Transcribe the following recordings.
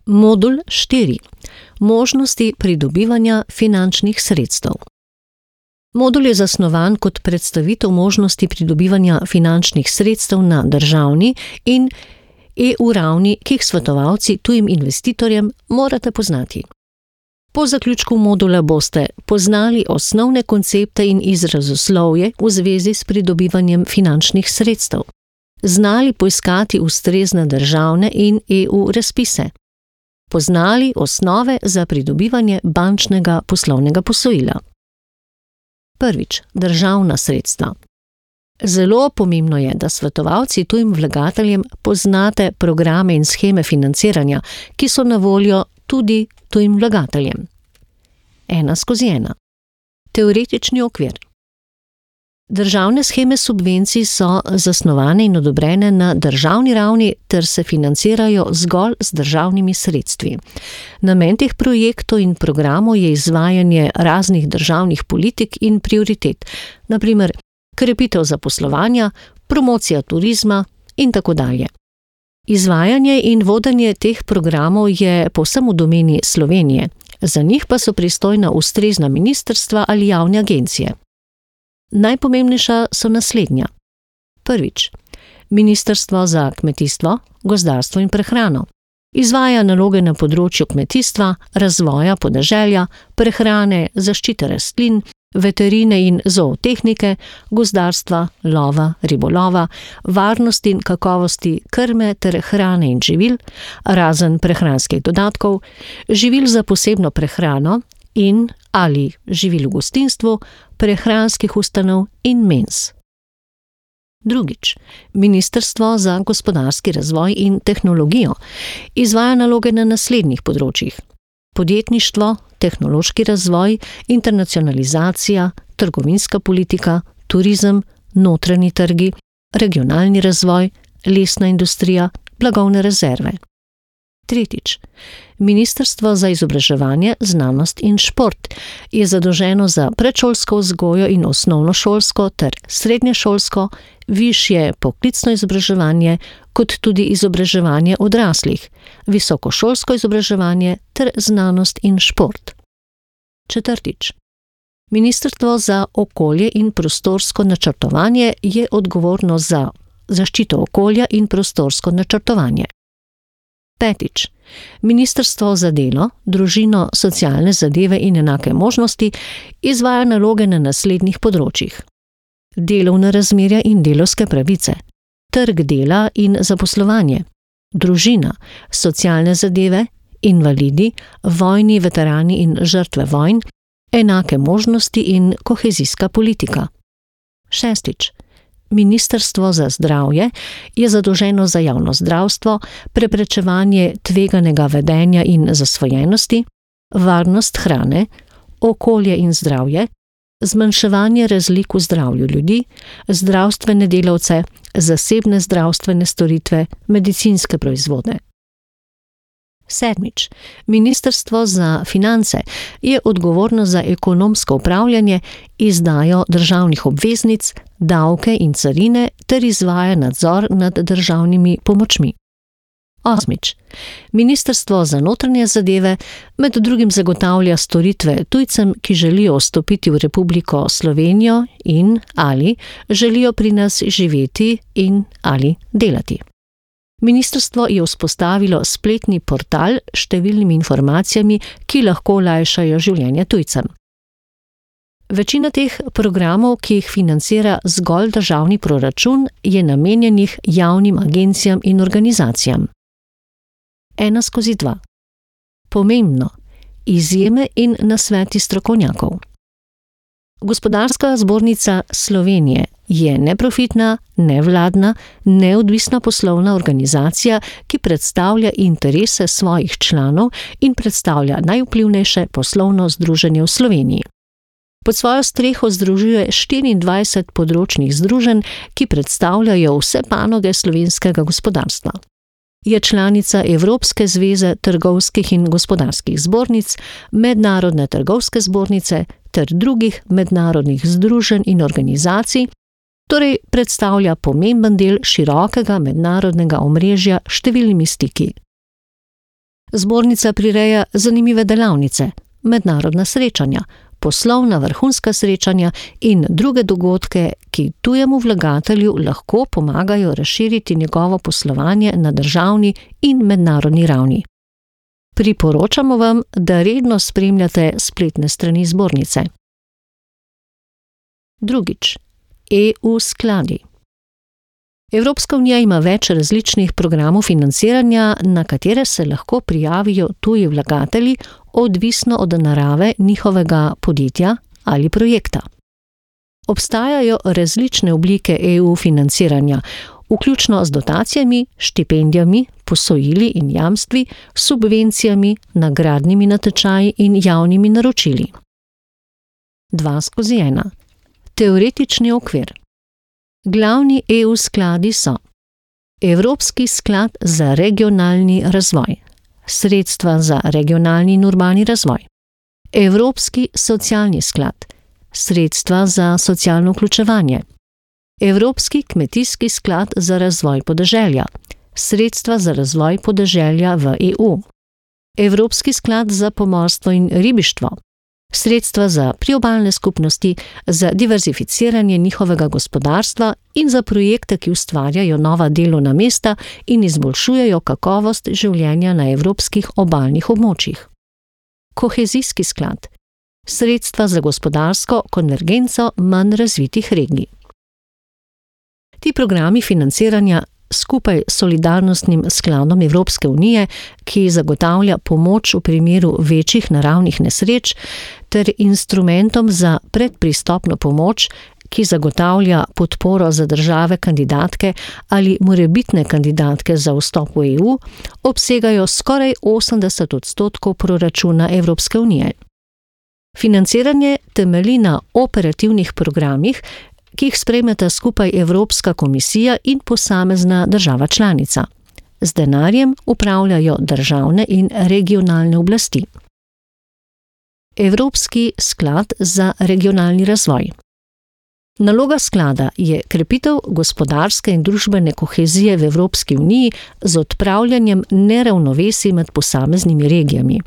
Modul 4. Možnosti pridobivanja finančnih sredstev. Modul je zasnovan kot predstavitev možnosti pridobivanja finančnih sredstev na državni in EU ravni, ki jih svetovalci tujim investitorjem morate poznati. Po zaključku modula boste poznali osnovne koncepte in izrazoslovje v zvezi s pridobivanjem finančnih sredstev, znali poiskati ustrezne državne in EU razpise, poznali osnove za pridobivanje bančnega poslovnega posojila. Prvič, državna sredstva. Zelo pomembno je, da svetovalci tujim vlagateljem poznate programe in sheme financiranja, ki so na voljo tudi tujim vlagateljem. 1/1. Teoretični okvir. Državne sheme subvencij so zasnovane in odobrene na državni ravni ter se financirajo zgolj z državnimi sredstvi. Namen teh projektov in programov je izvajanje raznih državnih politik in prioritet, na primer krepitev zaposlovanja, promocija turizma in tako dalje. Izvajanje in vodenje teh programov je povsem v domeni Slovenije, za njih pa so pristojna ustrezna ministrstva ali javne agencije. Najpomembnejša so naslednja. Prvič, Ministrstvo za kmetijstvo, gozdarstvo in prehrano. Izvaja naloge na področju kmetijstva, razvoja podeželja, prehrane, zaščite rastlin, veterine in zootehnike, gozdarstva, lova, ribolova, varnosti in kakovosti krme ter hrane in živil, razen prehranskih dodatkov, živil za posebno prehrano in ali živil v gostinstvu, prehranskih ustanov in menz. Drugič, Ministrstvo za gospodarski razvoj in tehnologijo izvaja naloge na naslednjih področjih: podjetništvo, tehnološki razvoj, internacionalizacija, trgovinska politika, turizem, notranji trgi, regionalni razvoj, lesna industrija, blagovne rezerve. Tretjič, Ministrstvo za izobraževanje, znanost in šport je zadolženo za predšolsko vzgojo in osnovnošolsko ter srednješolsko, višje poklicno izobraževanje, kot tudi izobraževanje odraslih, visokošolsko izobraževanje ter znanost in šport. Četrtič, Ministrstvo za okolje in prostorsko načrtovanje je odgovorno za zaščito okolja in prostorsko načrtovanje. Petič, Ministrstvo za delo, družino, socialne zadeve in enake možnosti izvaja naloge na naslednjih področjih: delovna razmerja in delavske pravice, trg dela in zaposlovanje, družina, socialne zadeve, invalidi, vojni veterani in žrtve vojn, enake možnosti in kohezijska politika. Šestič, Ministrstvo za zdravje je zadolženo za javno zdravstvo, preprečevanje tveganega vedenja in zasvojenosti, varnost hrane, okolje in zdravje, zmanjševanje razlik v zdravju ljudi, zdravstvene delavce, zasebne zdravstvene storitve, medicinske proizvode. Sedmič, Ministrstvo za finance je odgovorno za ekonomsko upravljanje, izdajo državnih obveznic, davke in carine ter izvaja nadzor nad državnimi pomočmi. Osmič, Ministrstvo za notranje zadeve med drugim zagotavlja storitve tujcem, ki želijo vstopiti v Republiko Slovenijo in ali želijo pri nas živeti in ali delati. Ministrstvo je vzpostavilo spletni portal s številnimi informacijami, ki lahko olajšajo življenje tujcem. Večina teh programov, ki jih financira zgolj državni proračun, je namenjenih javnim agencijam in organizacijam. 1/2. Pomembno: izjeme in nasveti strokovnjakov. Gospodarska zbornica Slovenije je neprofitna, nevladna, neodvisna poslovna organizacija, ki predstavlja interese svojih članov in predstavlja najvplivnejše poslovno združenje v Sloveniji. Pod svojo streho združuje 24 področnih združenj, ki predstavljajo vse panoge slovenskega gospodarstva. Je članica Evropske zveze trgovskih in gospodarskih zbornic, Mednarodne trgovske zbornice ter drugih mednarodnih združenj in organizacij, torej predstavlja pomemben del širokega mednarodnega omrežja s številnimi stiki. Zbornica prireja zanimive delavnice, mednarodna srečanja, poslovna vrhunska srečanja in druge dogodke, ki tujemu vlagatelju lahko pomagajo razširiti njegovo poslovanje na državni in mednarodni ravni. Priporočamo vam, da redno spremljate spletne strani zbornice. Drugič. EU skladi. Evropska unija ima več različnih programov financiranja, na katere se lahko prijavijo tuji vlagatelji, odvisno od narave njihovega podjetja ali projekta. Obstajajo različne oblike EU financiranja, vključno z dotacijami, štipendijami, posojili in jamstvi, subvencijami, nagradnimi natečaji in javnimi naročili. 2/1. Teoretični okvir. Glavni EU skladi so: Evropski sklad za regionalni razvoj, sredstva za regionalni in urbani razvoj, Evropski socialni sklad, sredstva za socialno vključevanje, Evropski kmetijski sklad za razvoj podeželja, sredstva za razvoj podeželja v EU, Evropski sklad za pomorstvo in ribištvo, sredstva za priobalne skupnosti, za diverzificiranje njihovega gospodarstva in za projekte, ki ustvarjajo nova delovna mesta in izboljšujejo kakovost življenja na evropskih obalnih območjih. Kohezijski sklad, sredstva za gospodarsko konvergenco manj razvitih regij. Ti programi financiranja skupaj s solidarnostnim skladom Evropske unije, ki zagotavlja pomoč v primeru večjih naravnih nesreč, ter instrumentom za predpristopno pomoč, ki zagotavlja podporo za države kandidatke ali morebitne kandidatke za vstop v EU, obsegajo skoraj 80% proračuna Evropske unije. Financiranje temelji na operativnih programih, ki jih sprejmeta skupaj Evropska komisija in posamezna država članica. Z denarjem upravljajo državne in regionalne oblasti. Evropski sklad za regionalni razvoj. Naloga sklada je krepitev gospodarske in družbene kohezije v Evropski uniji z odpravljanjem neravnovesij med posameznimi regijami.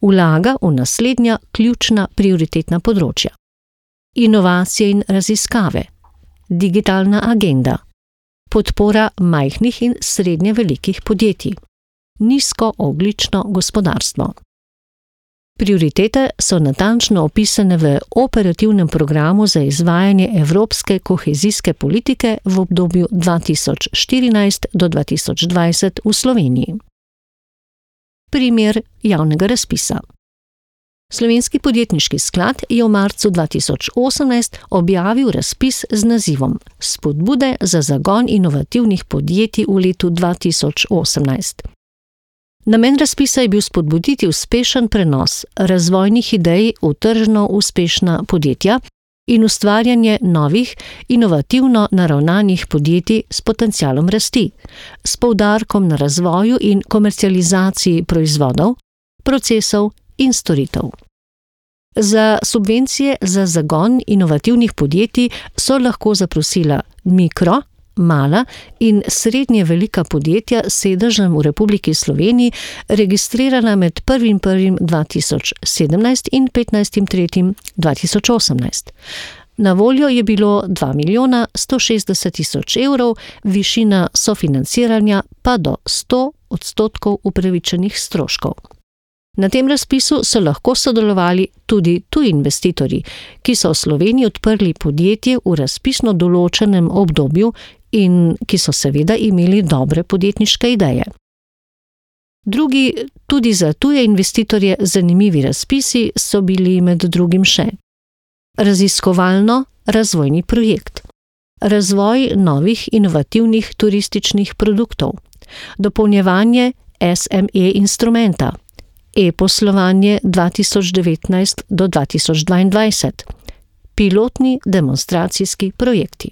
Vlaga v naslednja ključna prioritetna področja: inovacije in raziskave, digitalna agenda, podpora majhnih in srednje velikih podjetij, nizkoogljično gospodarstvo. Prioritete so natančno opisane v operativnem programu za izvajanje evropske kohezijske politike v obdobju 2014 do 2020 v Sloveniji. Primer javnega razpisa. Slovenski podjetniški sklad je v marcu 2018 objavil razpis z nazivom Spodbude za zagon inovativnih podjetij v letu 2018. Namen razpisa je bil spodbuditi uspešen prenos razvojnih idej v tržno uspešna podjetja in ustvarjanje novih, inovativno naravnanih podjetij s potencialom rasti, s poudarkom na razvoju in komercializaciji proizvodov, procesov in storitev. Za subvencije za zagon inovativnih podjetij so lahko zaprosila mikro, mala in srednje velika podjetja s sedežem v Republiki Sloveniji, registrirana med 1.1.2017 in 15.3.2018. Na voljo je bilo 2.160.000 evrov, višina sofinanciranja pa do 100% upravičenih stroškov. Na tem razpisu so lahko sodelovali tudi tuji investitorji, ki so v Sloveniji odprli podjetje v razpisno določenem obdobju in ki so seveda imeli dobre podjetniške ideje. Drugi, tudi za tuje investitorje zanimivi razpisi so bili med drugim še: raziskovalno-razvojni projekt, razvoj novih inovativnih turističnih produktov, dopolnjevanje SME instrumenta, e-poslovanje 2019 do 2022, pilotni demonstracijski projekti.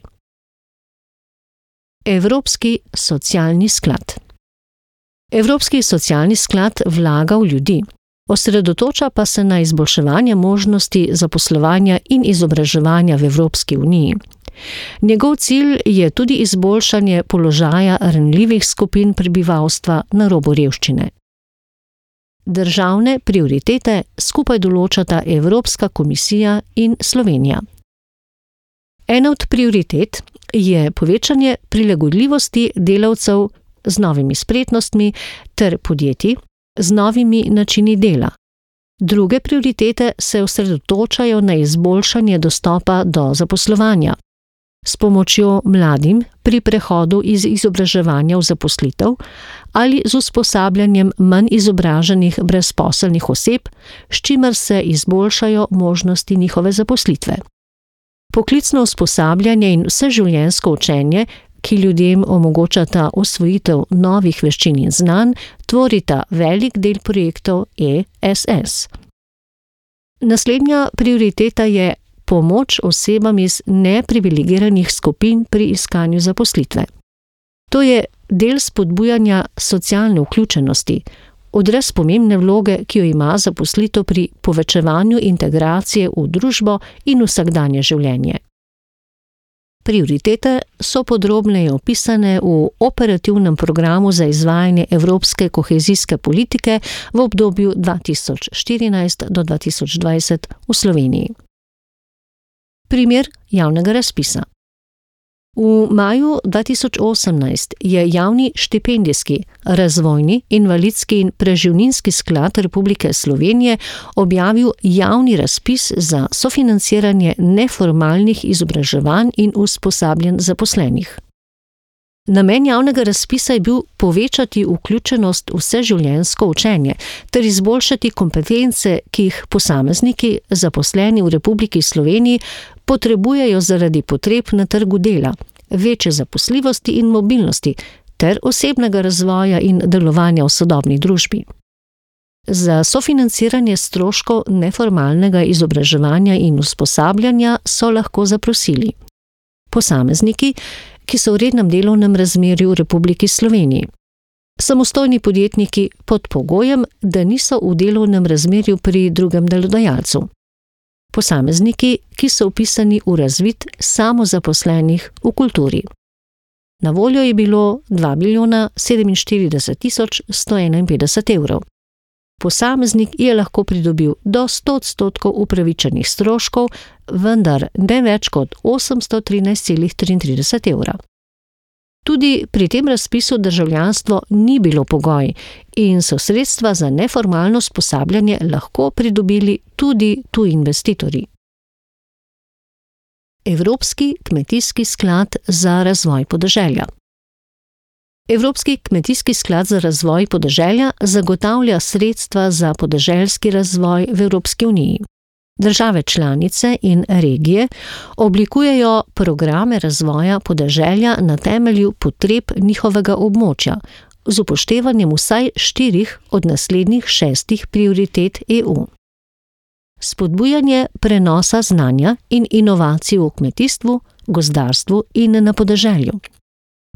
Evropski socialni sklad. Evropski socialni sklad vlaga v ljudi, osredotoča pa se na izboljševanje možnosti zaposlovanja in izobraževanja v Evropski uniji. Njegov cilj je tudi izboljšanje položaja ranljivih skupin prebivalstva na robu revščine. Državne prioritete skupaj določata Evropska komisija in Slovenija. Ena od prioritet je povečanje prilagodljivosti delavcev z novimi spretnostmi ter podjetij z novimi načini dela. Druge prioritete se osredotočajo na izboljšanje dostopa do zaposlovanja s pomočjo mladim pri prehodu iz izobraževanja v zaposlitev ali z usposabljanjem manj izobraženih brezposelnih oseb, s čimer se izboljšajo možnosti njihove zaposlitve. Poklicno usposabljanje in vseživljenjsko učenje, ki ljudem omogočata osvojitev novih veščin in znanj, tvorita velik del projektov ESS. Naslednja prioriteta je pomoč osebam iz neprivilegiranih skupin pri iskanju zaposlitve. To je del spodbujanja socialne vključenosti, odraz pomembne vloge, ki jo ima zaposlitev pri povečevanju integracije v družbo in vsakdanje življenje. Prioritete so podrobneje opisane v operativnem programu za izvajanje evropske kohezijske politike v obdobju 2014 do 2020 v Sloveniji. Primer javnega razpisa. V maju 2018 je javni štipendijski, razvojni, invalidski in preživninski sklad Republike Slovenije objavil javni razpis za sofinanciranje neformalnih izobraževanj in usposabljanj zaposlenih. Namen javnega razpisa je bil povečati vključenost v vseživljenjsko učenje ter izboljšati kompetence, ki jih posamezniki, zaposleni v Republiki Sloveniji, potrebujejo zaradi potreb na trgu dela, večje zaposljivosti in mobilnosti ter osebnega razvoja in delovanja v sodobni družbi. Za sofinanciranje stroškov neformalnega izobraževanja in usposabljanja so lahko zaprosili posamezniki, ki so v rednem delovnem razmerju v Republiki Sloveniji, samostojni podjetniki pod pogojem, da niso v delovnem razmerju pri drugem delodajalcu, posamezniki, ki so vpisani v razvid samozaposlenih v kulturi. Na voljo je bilo 2.047.151 evrov. Posameznik je lahko pridobil do 100% upravičenih stroškov, vendar ne več kot 813,33 evra. Tudi pri tem razpisu državljanstvo ni bilo pogoj in so sredstva za neformalno usposabljanje lahko pridobili tudi tuji investitorji. Evropski kmetijski sklad za razvoj podeželja. Evropski kmetijski sklad za razvoj podeželja zagotavlja sredstva za podeželski razvoj v Evropski uniji. Države članice in regije oblikujejo programe razvoja podeželja na temelju potreb njihovega območja, z upoštevanjem vsaj 4 od naslednjih 6 prioritet EU. Spodbujanje prenosa znanja in inovacij v kmetijstvu, gozdarstvu in na podeželju.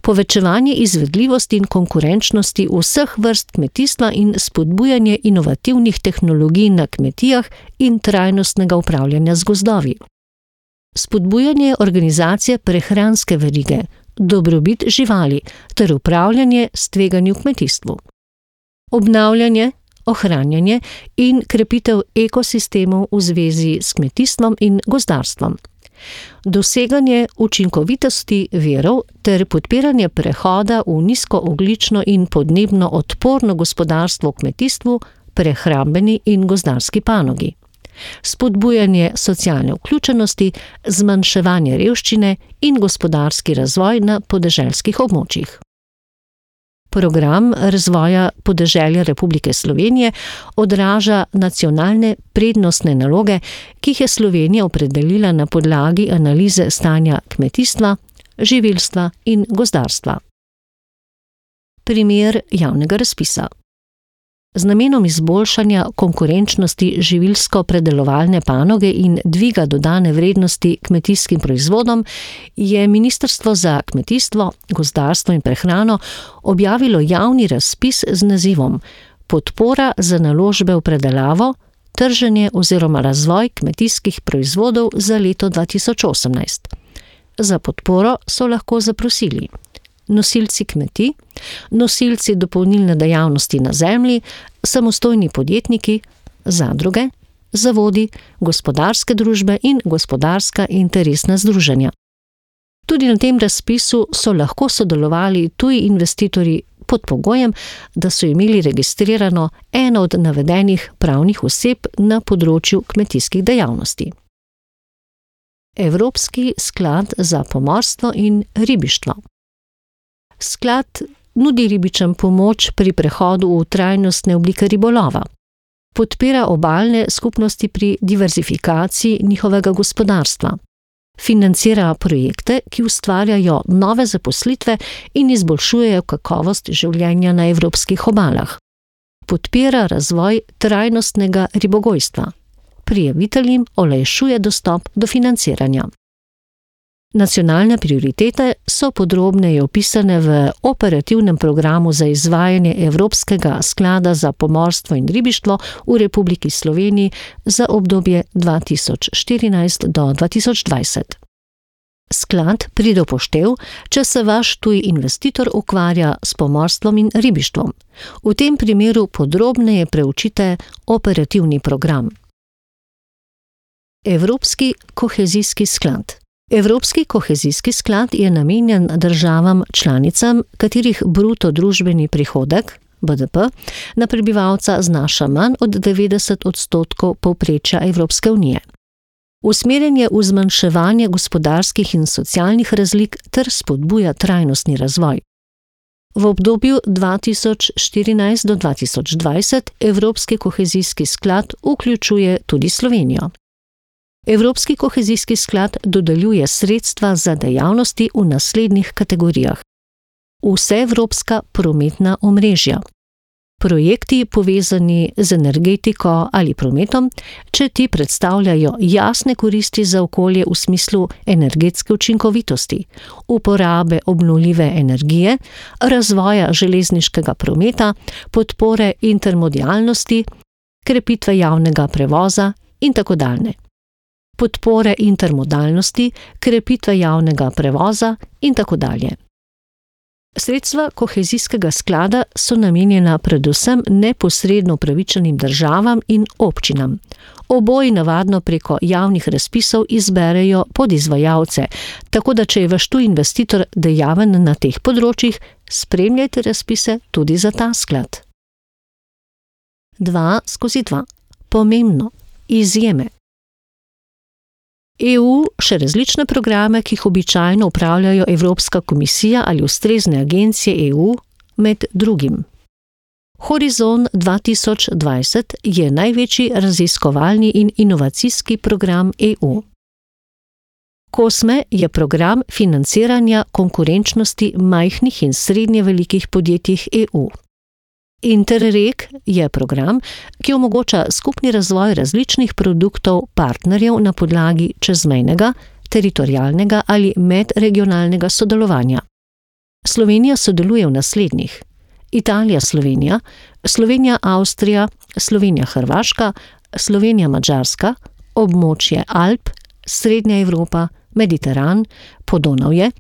Povečevanje izvedljivosti in konkurenčnosti vseh vrst kmetijstva in spodbujanje inovativnih tehnologij na kmetijah in trajnostnega upravljanja z gozdovi. Spodbujanje organizacije prehranske verige, dobrobit živali ter upravljanje s tveganji v kmetijstvu. Obnavljanje, ohranjanje in krepitev ekosistemov v zvezi s kmetijstvom in gozdarstvom. Doseganje učinkovitosti virov ter podpiranje prehoda v nizkoogljično in podnebno odporno gospodarstvo v kmetijstvu, prehrambeni in gozdarski panogi. Spodbujanje socialne vključenosti, zmanjševanje revščine in gospodarski razvoj na podeželskih območjih. Program razvoja podeželja Republike Slovenije odraža nacionalne prednostne naloge, ki jih je Slovenija opredelila na podlagi analize stanja kmetijstva, živilstva in gozdarstva. Primer javnega razpisa. Z namenom izboljšanja konkurenčnosti živilsko-predelovalne panoge in dviga dodane vrednosti kmetijskim proizvodom je Ministrstvo za kmetijstvo, gozdarstvo in prehrano objavilo javni razpis z nazivom Podpora za naložbe v predelavo, trženje oziroma razvoj kmetijskih proizvodov za leto 2018. Za podporo so lahko zaprosili nosilci kmetij, nosilci dopolnilne dejavnosti na zemlji, samostojni podjetniki, zadruge, zavodi, gospodarske družbe in gospodarska interesna združenja. Tudi na tem razpisu so lahko sodelovali tuji investitorji pod pogojem, da so imeli registrirano eno od navedenih pravnih oseb na področju kmetijskih dejavnosti. Evropski sklad za pomorstvo in ribištvo. Sklad nudi ribičem pomoč pri prehodu v trajnostne oblike ribolova. Podpira obalne skupnosti pri diverzifikaciji njihovega gospodarstva. Financira projekte, ki ustvarjajo nove zaposlitve in izboljšujejo kakovost življenja na evropskih obalah. Podpira razvoj trajnostnega ribogojstva. Prijaviteljem olajšuje dostop do financiranja. Nacionalne prioritete so podrobneje opisane v operativnem programu za izvajanje Evropskega sklada za pomorstvo in ribištvo v Republiki Sloveniji za obdobje 2014 do 2020. Sklad pride v poštev, če se vaš tuji investitor ukvarja s pomorstvom in ribištvom. V tem primeru podrobneje preučite operativni program. Evropski kohezijski sklad. Evropski kohezijski sklad je namenjen državam članicam, katerih bruto družbeni prihodek, BDP, na prebivalca znaša manj od 90% povprečja Evropske unije. Usmerjen je v zmanjševanje gospodarskih in socialnih razlik ter spodbuja trajnostni razvoj. V obdobju 2014 do 2020 Evropski kohezijski sklad vključuje tudi Slovenijo. Evropski kohezijski sklad dodeljuje sredstva za dejavnosti v naslednjih kategorijah. Vseevropska prometna omrežja. Projekti povezani z energetiko ali prometom, če ti predstavljajo jasne koristi za okolje v smislu energetske učinkovitosti, uporabe obnovljive energije, razvoja železniškega prometa, podpore intermodalnosti, krepitve javnega prevoza in tako dalje. Podpore intermodalnosti, krepitve javnega prevoza in tako dalje. Sredstva kohezijskega sklada so namenjena predvsem neposredno upravičenim državam in občinam. Oboji navadno preko javnih razpisov izberejo podizvajalce, tako da če je vaš tuji investitor dejaven na teh področjih, spremljajte razpise tudi za ta sklad. 2/2. Pomembno. Izjeme. EU še različne programe, ki jih običajno upravljajo Evropska komisija ali ustrezne agencije EU, med drugim. Horizon 2020 je največji raziskovalni in inovacijski program EU. COSME je program financiranja konkurenčnosti majhnih in srednje velikih podjetij EU. Interreg je program, ki omogoča skupni razvoj različnih produktov partnerjev na podlagi čezmejnega, teritorialnega ali medregionalnega sodelovanja. Slovenija sodeluje v naslednjih: Italija-Slovenija, Slovenija-Avstrija, Slovenija-Hrvaška, Slovenija-Madžarska, območje Alp, Srednja Evropa, Mediteran, Podonavje,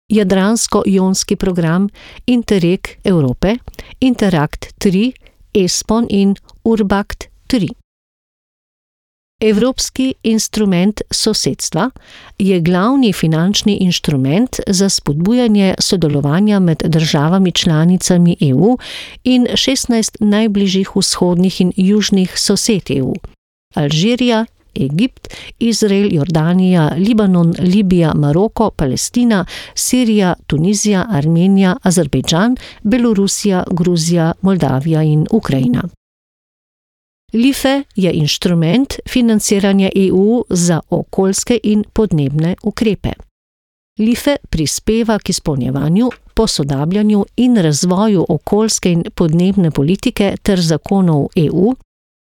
Jadransko-jonski program, Interreg Evrope, Interakt 3, ESPON in Urbakt 3. Evropski instrument sosedstva je glavni finančni inštrument za spodbujanje sodelovanja med državami članicami EU in 16 najbližjih vzhodnih in južnih sosed EU: Alžirija, Egipt, Izrael, Jordanija, Libanon, Libija, Maroko, Palestina, Sirija, Tunizija, Armenija, Azerbejdžan, Belorusija, Gruzija, Moldavija in Ukrajina. LIFE je inštrument financiranja EU za okoljske in podnebne ukrepe. LIFE prispeva k izpolnjevanju, posodabljanju in razvoju okoljske in podnebne politike ter zakonov EU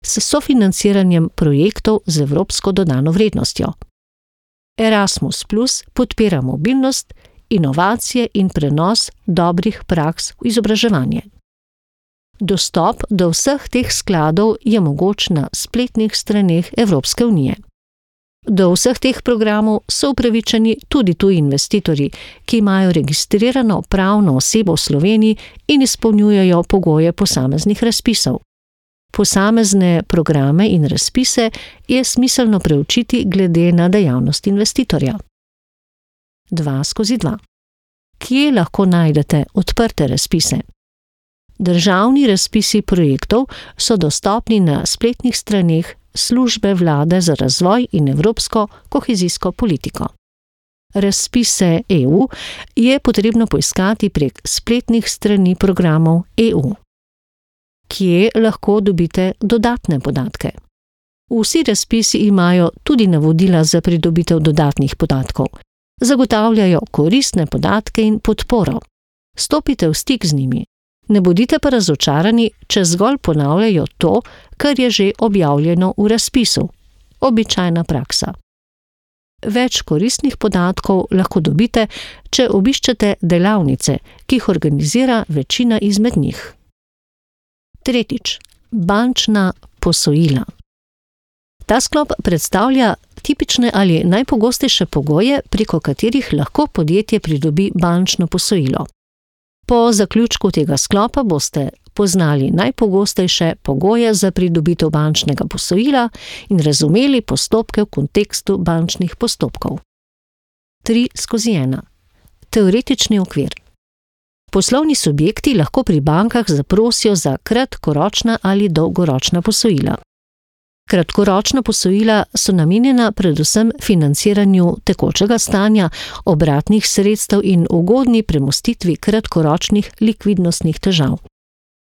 s sofinanciranjem projektov z evropsko dodano vrednostjo. Erasmus Plus podpira mobilnost, inovacije in prenos dobrih praks v izobraževanje. Dostop do vseh teh skladov je mogoč na spletnih straneh Evropske unije. Do vseh teh programov so upravičeni tudi tuji investitorji, ki imajo registrirano pravno osebo v Sloveniji in izpolnjujejo pogoje posameznih razpisov. Posamezne programe in razpise je smiselno preučiti glede na dejavnost investitorja. 2/2. Kje lahko najdete odprte razpise? Državni razpisi projektov so dostopni na spletnih straneh Službe vlade za razvoj in evropsko kohezijsko politiko. Razpise EU je potrebno poiskati prek spletnih strani programov EU. Kje lahko dobite dodatne podatke? Vsi razpisi imajo tudi navodila za pridobitev dodatnih podatkov. Zagotavljajo koristne podatke in podporo. Stopite v stik z njimi. Ne bodite pa razočarani, če zgolj ponavljajo to, kar je že objavljeno v razpisu. Običajna praksa. Več koristnih podatkov lahko dobite, če obiščete delavnice, ki jih organizira večina izmed njih. 3. Bančna posojila. Ta sklop predstavlja tipične ali najpogostejše pogoje, preko katerih lahko podjetje pridobi bančno posojilo. Po zaključku tega sklopa boste poznali najpogostejše pogoje za pridobitev bančnega posojila in razumeli postopke v kontekstu bančnih postopkov. 3/1. Teoretični okvir. Poslovni subjekti lahko pri bankah zaprosijo za kratkoročna ali dolgoročna posojila. Kratkoročna posojila so namenjena predvsem financiranju tekočega stanja, obratnih sredstev in ugodni premostitvi kratkoročnih likvidnostnih težav.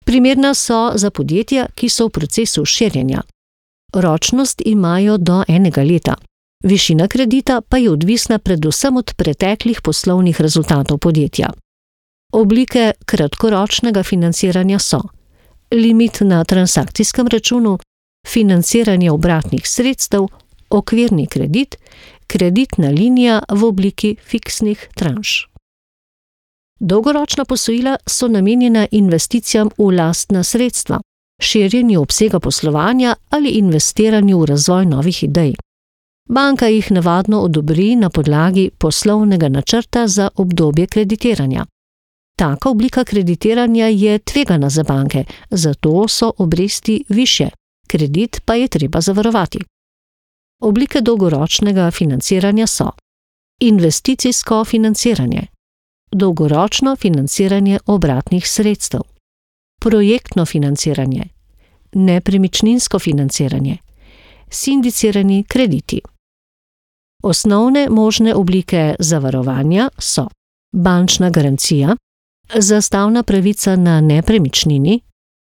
Primerna so za podjetja, ki so v procesu širjenja. Ročnost imajo do 1 leta. Višina kredita pa je odvisna predvsem od preteklih poslovnih rezultatov podjetja. Oblike kratkoročnega financiranja so limit na transakcijskem računu, financiranje obratnih sredstev, okvirni kredit, kreditna linija v obliki fiksnih tranš. Dolgoročna posojila so namenjena investicijam v lastna sredstva, širjenju obsega poslovanja ali investiranju v razvoj novih idej. Banka jih navadno odobri na podlagi poslovnega načrta za obdobje kreditiranja. Taka oblika kreditiranja je tvegana za banke, zato so obresti višje. Kredit pa je treba zavarovati. Oblike dolgoročnega financiranja so investicijsko financiranje, dolgoročno financiranje obratnih sredstev, projektno financiranje, nepremičninsko financiranje, sindicirani krediti. Osnovne možne oblike zavarovanja so bančna garancija, zastavna pravica na nepremičnini,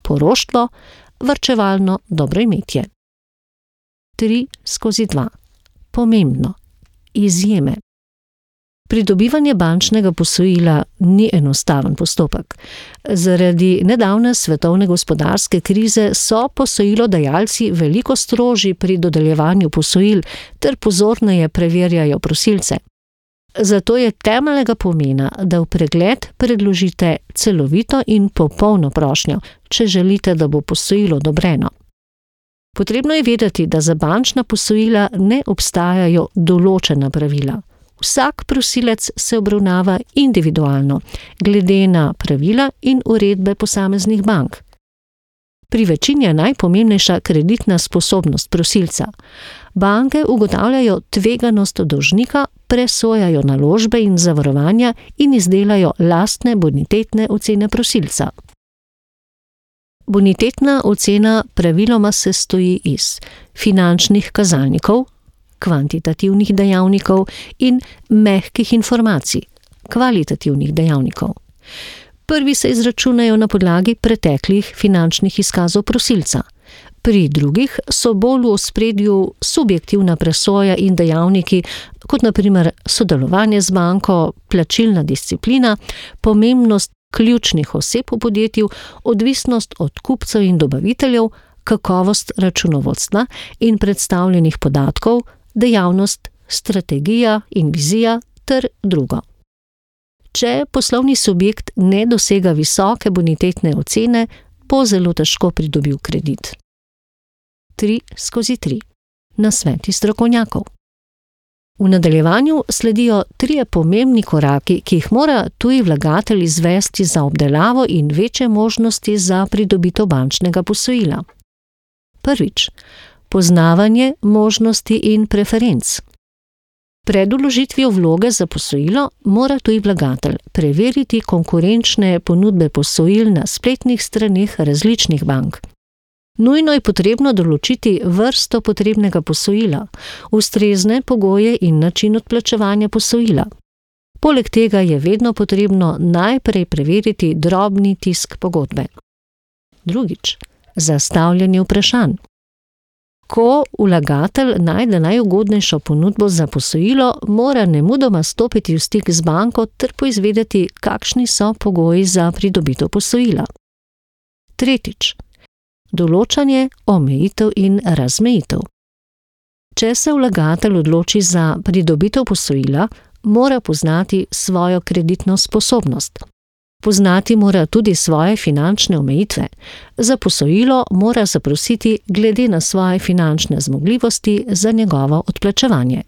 poroštvo, varčevalno dobroimetje. 3/2. Pomembno. Izjeme. Pridobivanje bančnega posojila ni enostaven postopek. Zaradi nedavne svetovne gospodarske krize so posojilodajalci veliko strožji pri dodeljevanju posojil ter pozorneje preverjajo prosilce. Zato je temeljnega pomena, da v pregled predložite celovito in popolno prošnjo, če želite, da bo posojilo odobreno. Potrebno je vedeti, da za bančna posojila ne obstajajo določena pravila. Vsak prosilec se obravnava individualno, glede na pravila in uredbe posameznih bank. Pri večini je najpomembnejša kreditna sposobnost prosilca. Banke ugotavljajo tveganost dolžnika, presojajo naložbe in zavarovanja in izdelajo lastne bonitetne ocene prosilca. Bonitetna ocena praviloma sestoji iz finančnih kazalnikov, kvantitativnih dejavnikov in mehkih informacij, kvalitativnih dejavnikov. Prvi se izračunajo na podlagi preteklih finančnih izkazov prosilca. Pri drugih so bolj v ospredju subjektivna presoja in dejavniki, kot na primer sodelovanje z banko, plačilna disciplina, pomembnost ključnih oseb v podjetju, odvisnost od kupcev in dobaviteljev, kakovost računovodstva in predstavljenih podatkov, dejavnost, strategija in vizija ter drugo. Če poslovni subjekt ne dosega visoke bonitetne ocene, bo zelo težko pridobil kredit. 3/3. Nasveti strokovnjakov. V nadaljevanju sledijo 3 pomembni koraki, ki jih mora tuji vlagatelj izvesti za obdelavo in večje možnosti za pridobitev bančnega posojila. Prvič, poznavanje možnosti in preferenc. Pred vložitvijo vloge za posojilo mora tuji vlagatelj preveriti konkurenčne ponudbe posojil na spletnih straneh različnih bank. Nujno je potrebno določiti vrsto potrebnega posojila, ustrezne pogoje in način odplačevanja posojila. Poleg tega je vedno potrebno najprej preveriti drobni tisk pogodbe. Drugič, zastavljanje vprašanj. Ko vlagatelj najde najugodnejšo ponudbo za posojilo, mora nemudoma stopiti v stik z banko ter poizvedeti, kakšni so pogoji za pridobitev posojila. Tretjič, določanje omejitev in razmejitev. Če se vlagatelj odloči za pridobitev posojila, mora poznati svojo kreditno sposobnost. Poznati mora tudi svoje finančne omejitve. Za posojilo mora zaprositi glede na svoje finančne zmogljivosti za njegovo odplačevanje.